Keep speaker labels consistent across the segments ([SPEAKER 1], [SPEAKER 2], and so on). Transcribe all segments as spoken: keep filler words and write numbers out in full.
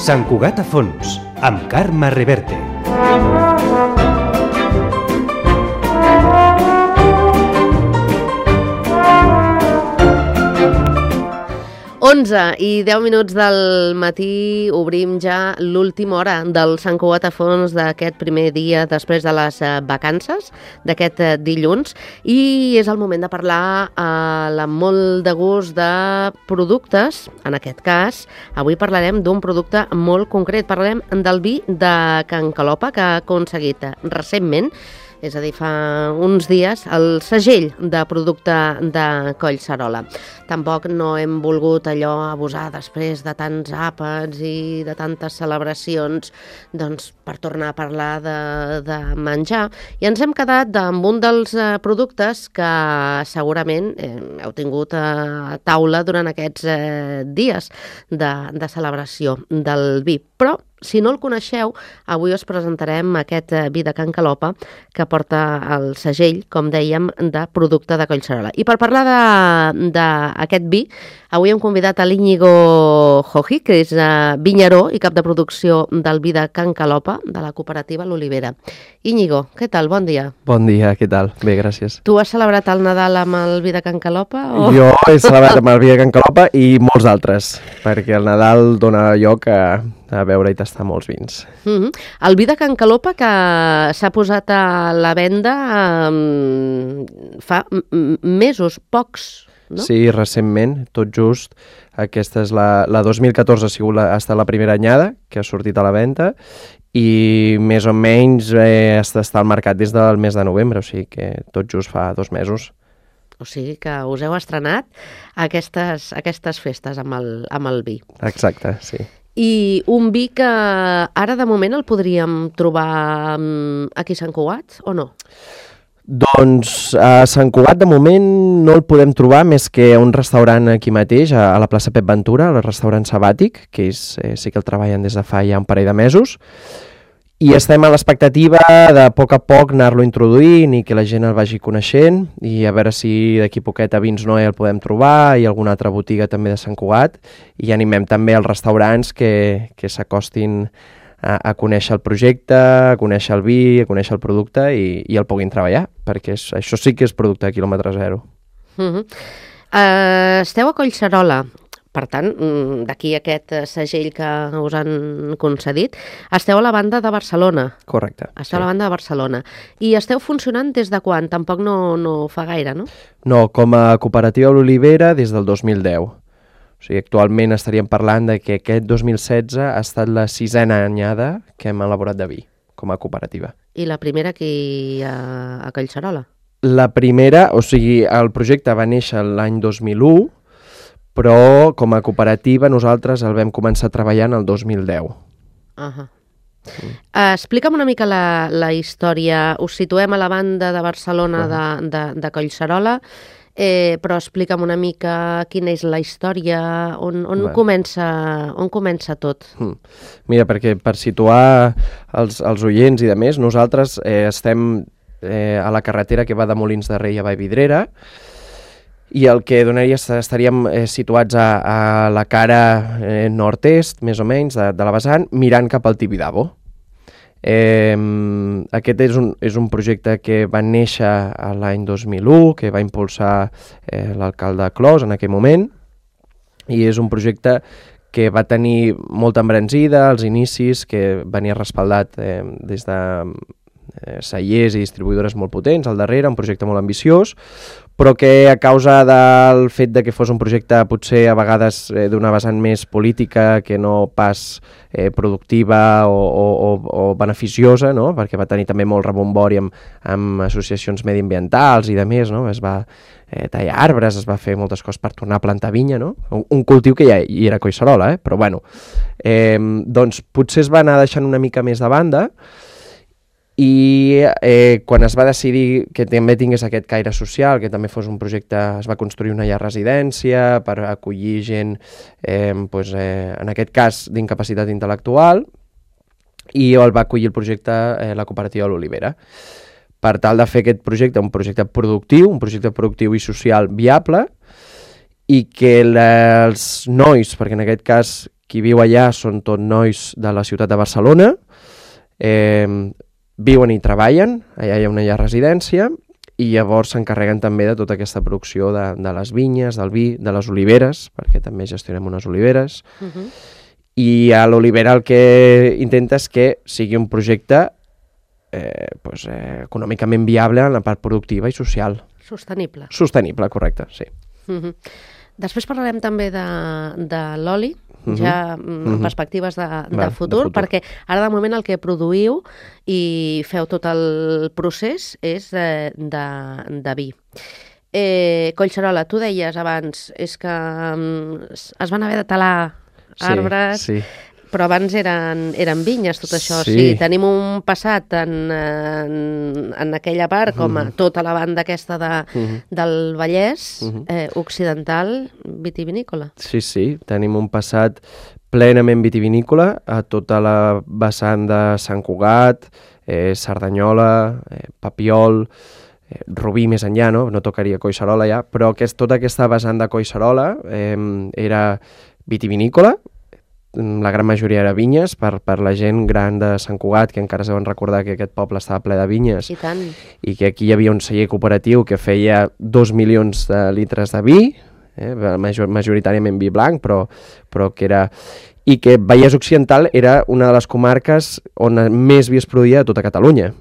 [SPEAKER 1] Sant Cugat a fons, amb Carme Reverte.
[SPEAKER 2] onze i deu minuts del matí obrim ja l'última hora del Sant Cugat a fons d'aquest primer dia després de les vacances, d'aquest dilluns, i és el moment de parlar eh, amb molt de gust de productes. En aquest cas, avui parlarem d'un producte molt concret. Parlarem del vi de Can Calopa, que ha aconseguit recentment, és a dir, fa uns dies, el segell de producte de Collserola. Tampoc no hem volgut allò abusar després de tants àpats i de tantes celebracions, doncs, per tornar a parlar de, de menjar. I ens hem quedat amb un dels productes que segurament eh, heu tingut a taula durant aquests eh, dies de, de celebració del vi. Però, si no el coneixeu, avui us presentarem aquest vi de Can Calopa que porta el segell, com dèiem, de producte de Collserola. I per parlar d'aquest vi, avui hem convidat a l'Íñigo Joji, que és vinyeró i cap de producció del vi de Can Calopa, de la cooperativa L'Olivera. Íñigo, què tal? Bon dia.
[SPEAKER 3] Bon dia, què tal? Bé, gràcies.
[SPEAKER 2] Tu has celebrat el Nadal amb el vi de Can Calopa? O...
[SPEAKER 3] Jo he celebrat amb el vi de Can Calopa i molts altres, perquè el Nadal dona lloc a... a veure i tastar molts vins.
[SPEAKER 2] Mm-hmm. El vi de Can Calopa que s'ha posat a la venda um, fa mesos, pocs, no?
[SPEAKER 3] Sí, recentment, tot just. Aquesta és la, la dos mil catorze ha sigut la, ha estat la primera anyada que ha sortit a la venda i més o menys eh, està al mercat des del mes de novembre, o sigui que tot just fa dos mesos.
[SPEAKER 2] O sigui que us heu estrenat aquestes, aquestes festes amb el, amb el vi.
[SPEAKER 3] Exacte, sí.
[SPEAKER 2] I un vi que ara de moment el podríem trobar aquí a Sant Cugat o no?
[SPEAKER 3] Doncs a Sant Cugat de moment no el podem trobar més que a un restaurant aquí mateix, a la plaça Pep Ventura, el restaurant Sabàtic, que és, eh, sí que el treballen des de fa ja un parell de mesos, i estem a l'expectativa de a poc a poc anar-lo introduint i que la gent el vagi coneixent i a veure si d'aquí poquet a Vins Noé el podem trobar i alguna altra botiga també de Sant Cugat, i animem també els restaurants que, que s'acostin a, a conèixer el projecte, a conèixer el vi, a conèixer el producte i, i el puguin treballar, perquè és, això sí que és producte de quilòmetre zero.
[SPEAKER 2] Uh-huh. uh, esteu a Collserola. Per tant, d'aquí aquest segell que us han concedit, esteu a la banda de Barcelona.
[SPEAKER 3] Correcte.
[SPEAKER 2] Esteu
[SPEAKER 3] sí.
[SPEAKER 2] a la banda de Barcelona. I esteu funcionant des de quan? Tampoc no, no fa gaire, no?
[SPEAKER 3] No, com a cooperativa L'Olivera des del dos mil deu. O sigui, actualment estaríem parlant de que aquest dos mil setze ha estat la sisena anyada que hem elaborat de vi, com a cooperativa.
[SPEAKER 2] I la primera aquí a, a Collserola?
[SPEAKER 3] La primera, o sigui, el projecte va néixer l'any dos mil u, però com a cooperativa nosaltres el vam començar treballant el dos mil deu.
[SPEAKER 2] Uh-huh. Mm. Uh, explica'm una mica la, la història. Us situem a la banda de Barcelona uh-huh. de, de, de Collserola, eh, però explica'm una mica quina és la història, on, on, comença, on comença tot.
[SPEAKER 3] Mm. Mira, perquè per situar els, els oients i de més, nosaltres eh, estem eh, a la carretera que va de Molins de Rei a Vallvidrera, i el que donaria estaríem eh, situats a, a la cara eh, nord-est, més o menys, de, de la vessant, mirant cap al Tibidabo. Eh, aquest és un, és un projecte que va néixer l'any dos mil u, que va impulsar eh, l'alcalde Clos en aquell moment, i és un projecte que va tenir molta embranzida als inicis, que venia respaldat eh, des de eh, cellers i distribuïdores molt potents al darrere, un projecte molt ambiciós, però que a causa del fet de que fos un projecte potser a vegades eh, d'una vessant més política que no pas eh, productiva o, o, o beneficiosa, no? Perquè va tenir també molt rebombori amb, amb associacions mediambientals i de més, no? Es va eh, tallar arbres, es va fer moltes coses per tornar a plantar vinya, no? Un, un cultiu que ja hi era a Collserola, eh? Però bueno, eh, doncs potser es va anar deixant una mica més de banda. I eh, quan es va decidir que també tingués aquest caire social, que també fos un projecte, es va construir una llar residència per acollir gent, eh, doncs, eh, en aquest cas d'incapacitat intel·lectual, i el va acollir el projecte eh, la cooperativa L'Olivera. Per tal de fer aquest projecte un projecte productiu, un projecte productiu i social viable, i que la, els nois, perquè en aquest cas qui viu allà són tot nois de la ciutat de Barcelona, eh, viuen i treballen, allà hi ha una llar residència, i llavors s'encarreguen també de tota aquesta producció de, de les vinyes, del vi, de les oliveres, perquè també gestionem unes oliveres, uh-huh. I a l'olivera el que intenta és que sigui un projecte eh, pues, eh, econòmicament viable en la part productiva i social.
[SPEAKER 2] Sostenible.
[SPEAKER 3] Sostenible, correcte, sí.
[SPEAKER 2] Uh-huh. Després parlarem també de, de l'oli, uh-huh. ja en uh-huh. perspectives de, de, Va, futur, de futur, perquè ara de moment el que produïu i feu tot el procés és de, de, de vi. Eh, Collserola, tu deies abans, és que um, es van haver de talar arbres,
[SPEAKER 3] sí, sí.
[SPEAKER 2] Però abans eren, eren vinyes, tot això.
[SPEAKER 3] Sí.
[SPEAKER 2] O sigui, tenim un passat en, en, en aquella part, com a tota la banda aquesta de, uh-huh. del Vallès uh-huh. eh, occidental vitivinícola.
[SPEAKER 3] Sí, sí, tenim un passat plenament vitivinícola a tota la vessant de Sant Cugat, eh, Cerdanyola, eh, Papiol, eh, Rubí més enllà, no? No tocaria Collserola ja, però aquest, tota aquesta vessant de Collserola eh, era vitivinícola, la gran majoria era vinyes, per, per la gent gran de Sant Cugat, que encara es deuen recordar que aquest poble estava ple de vinyes,
[SPEAKER 2] i tant.
[SPEAKER 3] I que aquí hi havia un celler cooperatiu que feia dos milions de litres de vi, eh, major, majoritàriament vi blanc, però, però que era... I que Vallès Occidental era una de les comarques on més vi es produïa de tota Catalunya.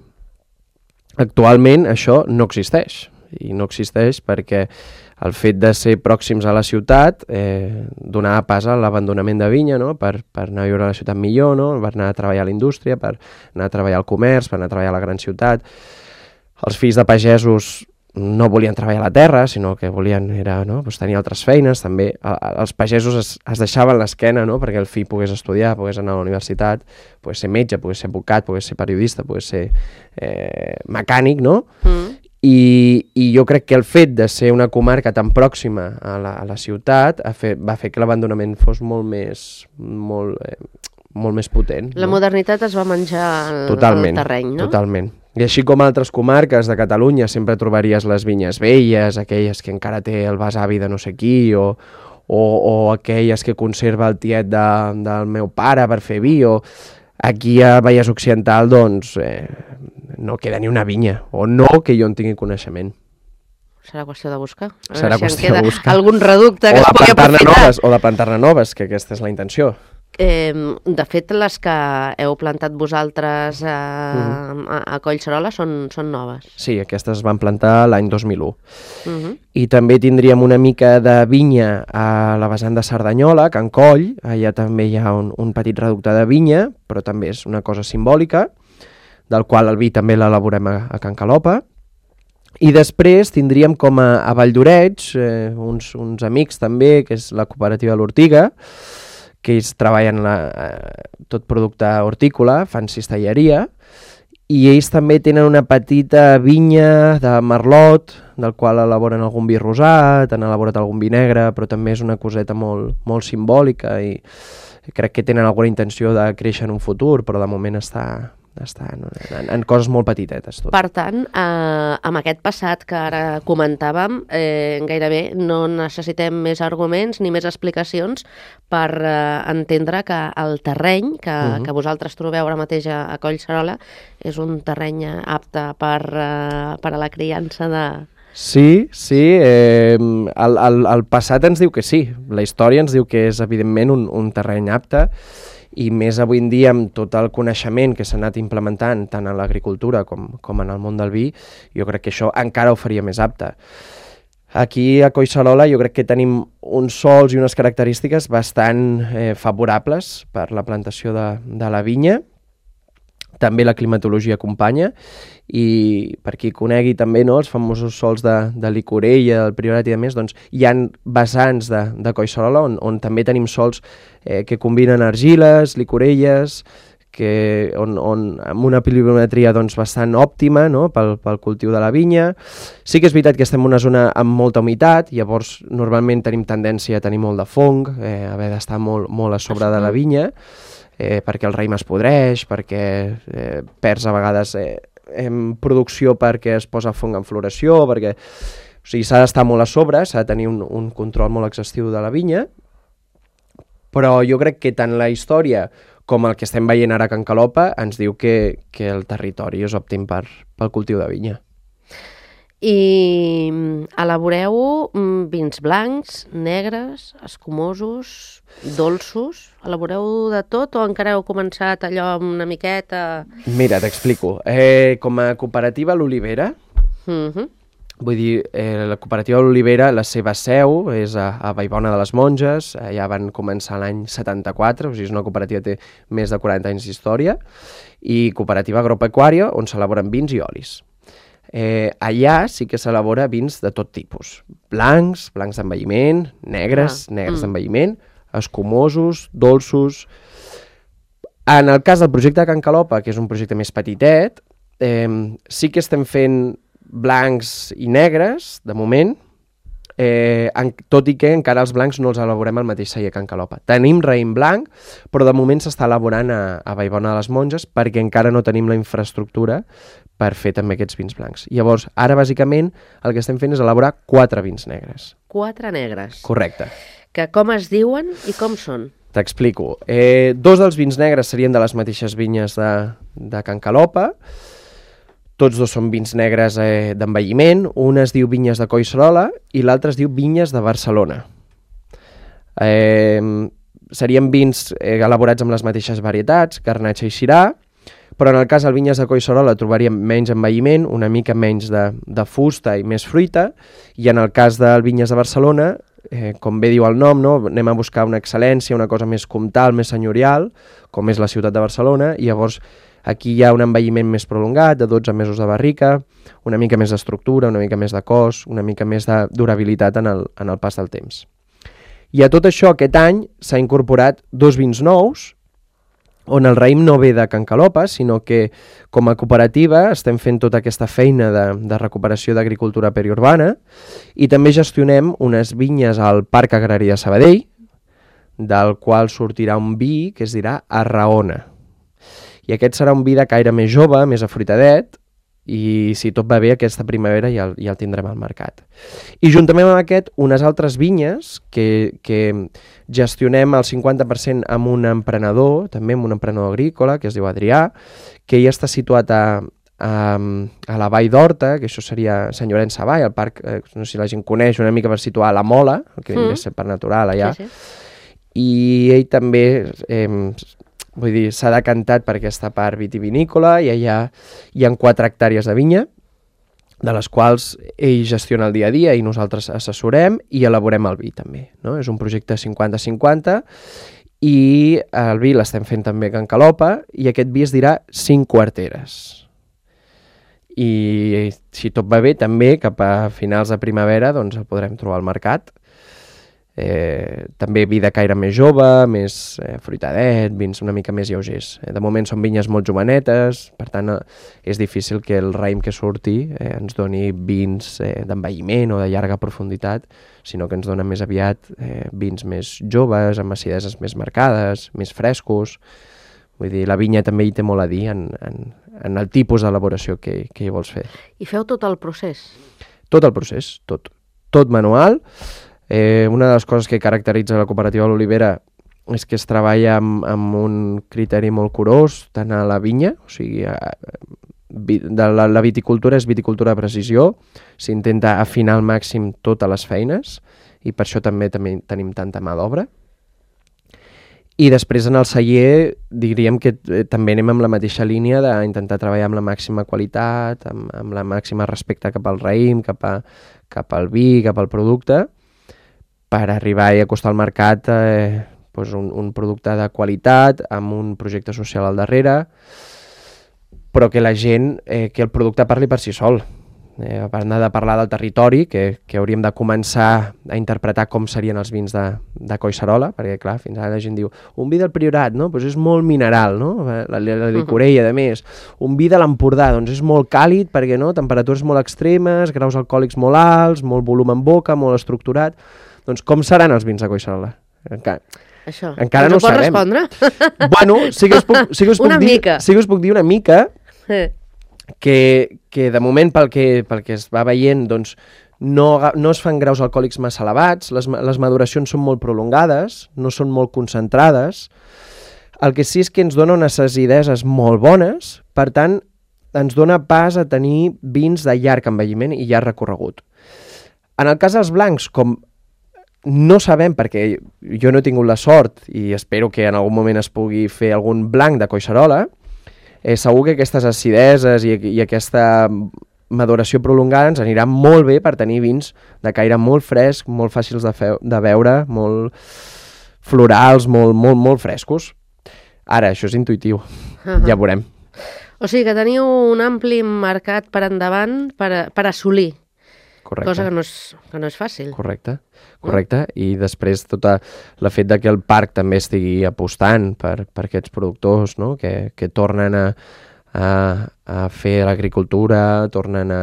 [SPEAKER 3] Actualment això no existeix, i no existeix perquè el fet de ser pròxims a la ciutat eh, donava pas a l'abandonament de vinya, no? per, per anar a viure a la ciutat millor, no? Per anar a treballar a la indústria, per anar a treballar al comerç, per anar a treballar a la gran ciutat. Els fills de pagesos no volien treballar a la terra, sinó que volien era, no? pues tenir altres feines. També els pagesos es, es deixaven l'esquena, no? Perquè el fill pogués estudiar, pogués anar a la universitat, pogués ser metge, pogués ser advocat, pogués ser periodista, pogués ser eh, mecànic, no? Mm. I, i jo crec que el fet de ser una comarca tan pròxima a la, a la ciutat ha fet, va fer que l'abandonament fos molt més, molt, eh, molt més potent.
[SPEAKER 2] La
[SPEAKER 3] no?
[SPEAKER 2] modernitat es va menjar el,
[SPEAKER 3] totalment,
[SPEAKER 2] el terreny, no?
[SPEAKER 3] Totalment. I així com altres comarques de Catalunya sempre trobaries les vinyes velles, aquelles que encara té el besavi de no sé qui, o, o, o aquelles que conserva el tiet de, del meu pare per fer vi, o aquí a Vallès Occidental, doncs... Eh, no queda ni una vinya, o no que jo en tingui coneixement.
[SPEAKER 2] Serà qüestió de buscar.
[SPEAKER 3] Serà
[SPEAKER 2] si
[SPEAKER 3] qüestió de buscar.
[SPEAKER 2] Algun reducte que
[SPEAKER 3] o
[SPEAKER 2] es pugui aprofitar.
[SPEAKER 3] Noves, o de plantar-ne noves, que aquesta és la intenció.
[SPEAKER 2] Eh, de fet, les que heu plantat vosaltres a, uh-huh. a, a Collserola són, són noves.
[SPEAKER 3] Sí, aquestes es van plantar l'any dos mil u.
[SPEAKER 2] Uh-huh.
[SPEAKER 3] I també tindríem una mica de vinya a la vessant de Cerdanyola, a Can Coll. Allà també hi ha un, un petit reducte de vinya, però també és una cosa simbòlica, del qual el vi també l'elaborem a, a Can Calopa. I després tindríem com a, a Valldoreix eh, uns, uns amics també, que és la cooperativa L'Ortiga, que ells treballen la, eh, tot producte hortícola, fan cistelleria, i ells també tenen una petita vinya de merlot, del qual elaboren algun vi rosat, han elaborat algun vi negre, però també és una coseta molt, molt simbòlica i crec que tenen alguna intenció de créixer en un futur, però de moment està... està en, en, en coses molt petitetes. Tot.
[SPEAKER 2] Per tant, eh, amb aquest passat que ara comentàvem, eh, gairebé no necessitem més arguments ni més explicacions per eh, entendre que el terreny que, uh-huh. que vosaltres trobeu ara mateix a, a Collserola és un terreny apte per, eh, per a la criança de...
[SPEAKER 3] Sí, sí, eh, el, el, el passat ens diu que sí, la història ens diu que és evidentment un, un terreny apte, i més avui en dia amb tot el coneixement que s'ha anat implementant tant en l'agricultura com, com en el món del vi, jo crec que això encara ho faria més apte. Aquí a Collserola jo crec que tenim uns sols i unes característiques bastant eh, favorables per la plantació de, de la vinya. També la climatologia acompanya i per qui conegui també no, els famosos sols de, de l'Icorella, del Priorat i de més, doncs hi ha vessants de, de Collserola on, on també tenim sols eh, que combinen argiles, licorelles, que, on, on, amb una pluviometria doncs, bastant òptima no, pel, pel cultiu de la vinya. Sí que és veritat que estem en una zona amb molta humitat, llavors normalment tenim tendència a tenir molt de fong, eh, haver d'estar molt, molt a sobre de la vinya, eh, perquè el raïm es podreix, perquè eh, perds a vegades eh, en producció perquè es posa fong en floració, perquè o sigui, s'ha d'estar molt a sobre, s'ha de tenir un, un control molt exhaustiu de la vinya, Però jo crec que tant la història com el que estem veient ara a Can Calopa ens diu que, que el territori és òptim per, pel cultiu de vinya.
[SPEAKER 2] I elaboreu vins blancs, negres, escumosos, dolços? Elaboreu de tot o encara heu començat allò amb una miqueta?
[SPEAKER 3] Mira, t'explico. Eh, com a cooperativa l'Olivera,
[SPEAKER 2] Uh-huh.
[SPEAKER 3] vull dir, eh, la cooperativa de l'Olivera, la seva seu és a, a Vallbona de les Monges, eh, ja van començar l'any setanta-quatre, o sigui, és una cooperativa que té més de quaranta anys d'història, i cooperativa agropecuària, on s'elaboren vins i olis. Eh, allà sí que s'elabora vins de tot tipus, blancs, blancs d'envelliment, negres,
[SPEAKER 2] ah.
[SPEAKER 3] negres
[SPEAKER 2] mm.
[SPEAKER 3] d'envelliment, escumosos, dolços. En el cas del projecte de Can Calopa, que és un projecte més petitet, eh, sí que estem fent blancs i negres, de moment, eh, en, tot i que encara els blancs no els elaborem al mateix celler Can Calopa. Tenim raïm blanc, però de moment s'està elaborant a, a Vallbona de les Monges perquè encara no tenim la infraestructura per fer també aquests vins blancs. Llavors, ara bàsicament el que estem fent és elaborar quatre vins negres.
[SPEAKER 2] Quatre negres.
[SPEAKER 3] Correcte.
[SPEAKER 2] Que com es diuen i com són?
[SPEAKER 3] T'explico. Eh, dos dels vins negres serien de les mateixes vinyes de, de Can Calopa. Tots dos són vins negres eh, d'envelliment. Un es diu Vinyes de Collserola i l'altre es diu Vinyes de Barcelona. Eh, serien vins eh, elaborats amb les mateixes varietats, Garnatxa i Syrah, però en el cas del Vinyes de Collserola trobaríem menys envelliment, una mica menys de, de fusta i més fruita, i en el cas del Vinyes de Barcelona, eh, com bé diu el nom, no? Anem a buscar una excel·lència, una cosa més comtal, més senyorial, com és la ciutat de Barcelona, i llavors aquí hi ha un envelliment més prolongat, de dotze mesos de barrica, una mica més d'estructura, una mica més de cos, una mica més de durabilitat en el, en el pas del temps. I a tot això, aquest any s'ha incorporat dos vins nous, on el raïm no ve de Can Calopa, sinó que com a cooperativa estem fent tota aquesta feina de, de recuperació d'agricultura periurbana i també gestionem unes vinyes al Parc Agrari de Sabadell, del qual sortirà un vi que es dirà Arraona. I aquest serà un vi de caire més jove, més afruitadet, i si tot va bé aquesta primavera ja el, ja el tindrem al mercat. I juntament amb aquest, unes altres vinyes que, que gestionem al cinquanta per cent amb un emprenedor, també amb un emprenedor agrícola, que es diu Adrià, que ja està situat a, a, a la Vall d'Horta, que això seria Sant Llorenç Savall, el parc, eh, no sé si la gent coneix, una mica per situar la Mola, el que vindria a ser per natural allà, sí, sí. I ell també... Eh, Vull dir, s'ha decantat per aquesta part vitivinícola i allà hi ha quatre hectàrees de vinya, de les quals ell gestiona el dia a dia i nosaltres assessorem i elaborem el vi també. No? És un projecte cinquanta cinquanta i el vi l'estem fent també a Can Calopa i aquest vi es dirà Cinc Quarteres. I si tot va bé, també cap a finals de primavera doncs el podrem trobar al mercat. Eh, també vi de caire més jove, més eh, fruitadet, vins una mica més lleugers. Eh, de moment són vinyes molt jovenetes, per tant eh, és difícil que el raïm que surti eh, ens doni vins eh, d'envelliment o de llarga profunditat, sinó que ens dona més aviat eh, vins més joves, amb acideses més marcades, més frescos. Vull dir, la vinya també hi té molt a dir en, en, en el tipus d'elaboració que, que hi vols fer.
[SPEAKER 2] I feu tot el procés?
[SPEAKER 3] Tot el procés, tot. Tot manual. Eh, una de les coses que caracteritza la cooperativa de l'Olivera és que es treballa amb, amb un criteri molt curós, tant a la vinya, o sigui, a, de la, la viticultura és viticultura de precisió, s'intenta afinar al màxim totes les feines i per això també, també tenim tanta mà d'obra. I després en el celler diríem que eh, també anem amb la mateixa línia d'intentar treballar amb la màxima qualitat, amb, amb la màxima respecte cap al raïm, cap, a, cap al vi, cap al producte, per arribar i acostar al mercat eh, doncs un, un producte de qualitat, amb un projecte social al darrere, però que la gent, eh, que el producte parli per si sol. Eh, a part de parlar del territori, que, que hauríem de començar a interpretar com serien els vins de, de Collserola, perquè clar, fins ara la gent diu un vi del Priorat, no? Pues és molt mineral, no? La, la licorella, a més. Un vi de l'Empordà, doncs és molt càlid, perquè no? Temperatures molt extremes, graus alcohòlics molt alts, molt volum en boca, molt estructurat. Doncs com seran els vins de Collserola? Encara,
[SPEAKER 2] Això.
[SPEAKER 3] encara no ho sabem.
[SPEAKER 2] Respondre?
[SPEAKER 3] Bueno, sí que us puc, sí que us puc
[SPEAKER 2] una
[SPEAKER 3] dir,
[SPEAKER 2] mica.
[SPEAKER 3] Sí que us puc dir una mica
[SPEAKER 2] Eh.
[SPEAKER 3] que, que de moment pel que, pel que es va veient doncs, no, no es fan graus alcohòlics massa elevats, les, les maduracions són molt prolongades, no són molt concentrades. El que sí és que ens dona unes acideses molt bones, per tant, ens dona pas a tenir vins de llarg envelliment i llarg recorregut. En el cas dels blancs, com no sabem, perquè jo no he tingut la sort i espero que en algun moment es pugui fer algun blanc de Collserola, eh, segur que aquestes acideses i, i aquesta maduració prolongada ens anirà molt bé per tenir vins de caire molt fresc, molt fàcils de, fe, de beure, molt florals, molt, molt, molt frescos. Ara, això és intuïtiu, uh-huh. Ja veurem.
[SPEAKER 2] O sigui que teniu un ampli mercat per endavant per, a, per assolir.
[SPEAKER 3] Correcte.
[SPEAKER 2] Cosa que no és, que no és fàcil.
[SPEAKER 3] Correcte, correcte. No? I després tot el fet de que el parc també estigui apostant per, per aquests productors, no? que, que tornen a, a, a fer l'agricultura, tornen a,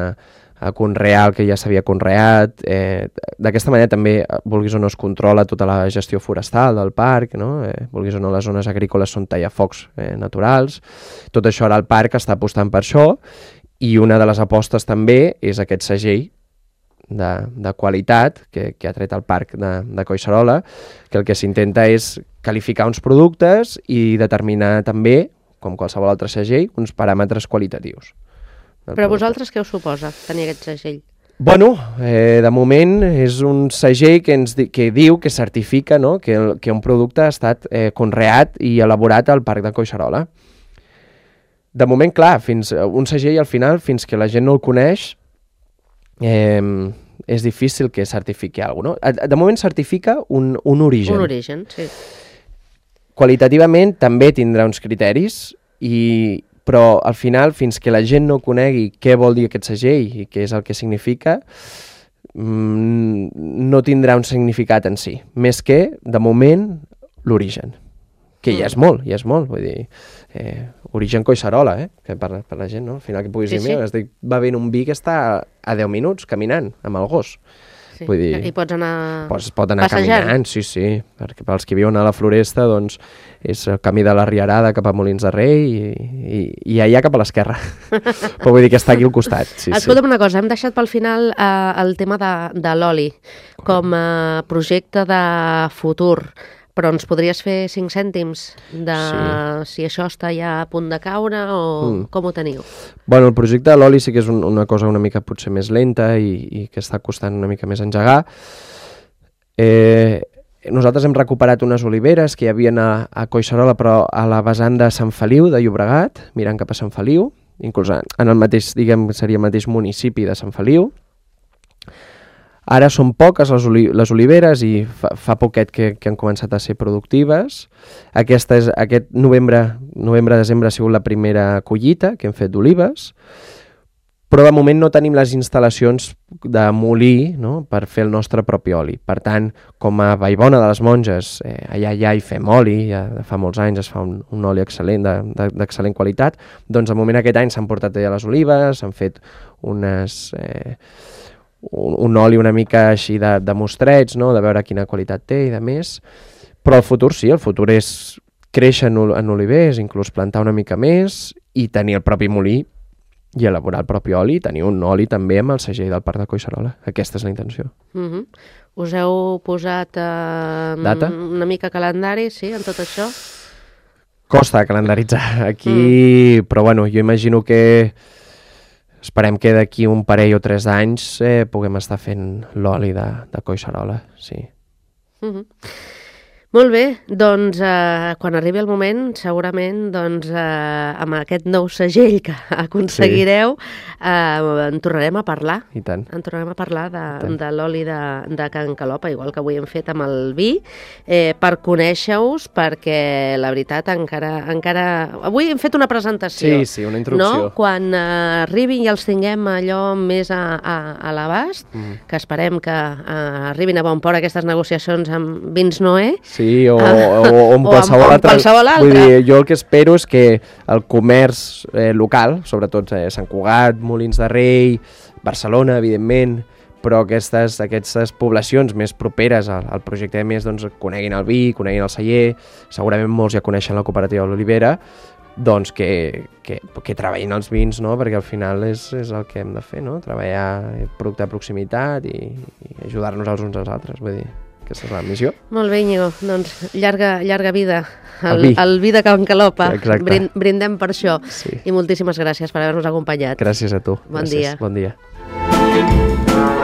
[SPEAKER 3] a conrear el que ja s'havia conreat. Eh, D'aquesta manera també, vulguis o no, es controla tota la gestió forestal del parc, no? eh, vulguis o no, les zones agrícoles són tallafocs eh, naturals. Tot això ara el parc està apostant per això i una de les apostes també és aquest segell De, de qualitat que, que ha tret el parc de, de Collserola, que el que s'intenta és qualificar uns productes i determinar també, com qualsevol altre segell, uns paràmetres qualitatius.
[SPEAKER 2] Però producte. Vosaltres què us suposa tenir aquest segell?
[SPEAKER 3] Bueno, eh, de moment és un segell que, ens, que diu, que certifica, no? que, el, que un producte ha estat eh, conreat i elaborat al parc de Collserola. De moment, clar, fins un segell al final, fins que la gent no el coneix, Eh, és difícil que certifiqui alguna cosa, no? De moment certifica un, un origen.
[SPEAKER 2] Un origen, sí.
[SPEAKER 3] Qualitativament també tindrà uns criteris, i, però al final, fins que la gent no conegui què vol dir aquest segell i què és el que significa, mmm, no tindrà un significat en si. Més que, de moment, l'origen. Que ja és molt, ja és molt, vull dir, eh, origen Collserola, eh, que per, per la gent, no? Al final que puguis sí, dir, mira, sí. va venir un vi que està a deu minuts caminant amb el gos.
[SPEAKER 2] Sí.
[SPEAKER 3] Vull dir,
[SPEAKER 2] i pots anar
[SPEAKER 3] pots, pot anar
[SPEAKER 2] passejant.
[SPEAKER 3] Caminant, sí, sí, perquè pels que viuen a la Floresta, doncs, és el camí de la Rierada cap a Molins de Rei i, i, i allà cap a l'esquerra. Però vull dir que està aquí al costat. Sí,
[SPEAKER 2] Escolta'm
[SPEAKER 3] sí.
[SPEAKER 2] una cosa, hem deixat pel final eh, el tema de, de l'oli com a projecte de futur. Però ens podries fer cinc cèntims de sí. si això està ja a punt de caure o mm. com ho teniu?
[SPEAKER 3] Bueno, el projecte de l'oli sí que és un, una cosa una mica potser més lenta i, i que està costant una mica més engegar. Eh, nosaltres hem recuperat unes oliveres que hi havia a, a Collserola, però a la vessant de Sant Feliu, de Llobregat, mirant cap a Sant Feliu, inclús en el mateix, diguem, seria el mateix municipi de Sant Feliu. Ara són poques les, oli les oliveres i fa, fa poquet que, que han començat a ser productives. Aquesta és, aquest novembre, novembre-desembre ha sigut la primera collita que hem fet d'olives, però de moment no tenim les instal·lacions de molí, no?, per fer el nostre propi oli. Per tant, com a Vallbona de les Monges, eh, allà ja hi fem oli, ja fa molts anys es fa un, un oli excel·lent, d'excel·lent qualitat, doncs de moment aquest any s'han portat ja les olives, s'han fet unes... Eh, Un, un oli una mica així de, de mostreig, no? De veure quina qualitat té i de més, però el futur sí, el futur és créixer en, en olivers, inclús plantar una mica més i tenir el propi molí i elaborar el propi oli, tenir un oli també amb el segell del Parc de Collserola. Aquesta és la intenció.
[SPEAKER 2] Uh-huh. Us heu posat eh,
[SPEAKER 3] data?
[SPEAKER 2] Una mica calendari, sí, en tot això?
[SPEAKER 3] Costa calendaritzar aquí, mm. però bueno, jo imagino que esperem que d'aquí un parell o tres d'anys eh, puguem estar fent l'oli de, de Collserola, sí.
[SPEAKER 2] Uh-huh. Molt bé, doncs eh, quan arribi el moment, segurament doncs, eh, amb aquest nou segell que aconseguireu, sí. eh, en tornarem a parlar.
[SPEAKER 3] I tant.
[SPEAKER 2] En tornarem a parlar de, de l'oli de, de Can Calopa, igual que avui hem fet amb el vi, eh, per conèixer-us, perquè la veritat encara, encara... Avui hem fet una presentació.
[SPEAKER 3] Sí, sí, una introducció.
[SPEAKER 2] No? Quan eh, arribin i els tinguem allò més a, a, a l'abast, mm. que esperem que eh, arribin a bon port aquestes negociacions amb Vins Noé.
[SPEAKER 3] Sí, o, o, o amb qualsevol,
[SPEAKER 2] o amb
[SPEAKER 3] altre.
[SPEAKER 2] qualsevol altre.
[SPEAKER 3] Vull dir, jo el que espero és que el comerç eh, local, sobretot eh, Sant Cugat, Molins de Rei, Barcelona, evidentment, però aquestes, aquestes poblacions més properes al, al projecte de més, doncs, coneguin el vi, coneguin el celler, segurament molts ja coneixen la cooperativa de l'Olivera, doncs que, que, que treballin els vins, no? Perquè al final és, és el que hem de fer, no? Treballar producte de proximitat i, i ajudar-nos els uns als altres, vull dir, aquesta és la missió.
[SPEAKER 2] Molt bé, Íñigo, doncs llarga, llarga vida al,
[SPEAKER 3] El vi.
[SPEAKER 2] al vi de Can Calopa.
[SPEAKER 3] Exacte.
[SPEAKER 2] Brind, brindem per això.
[SPEAKER 3] Sí.
[SPEAKER 2] I moltíssimes gràcies per haver-nos acompanyat.
[SPEAKER 3] Gràcies a tu.
[SPEAKER 2] Bon
[SPEAKER 3] Gràcies.
[SPEAKER 2] dia.
[SPEAKER 3] Bon dia.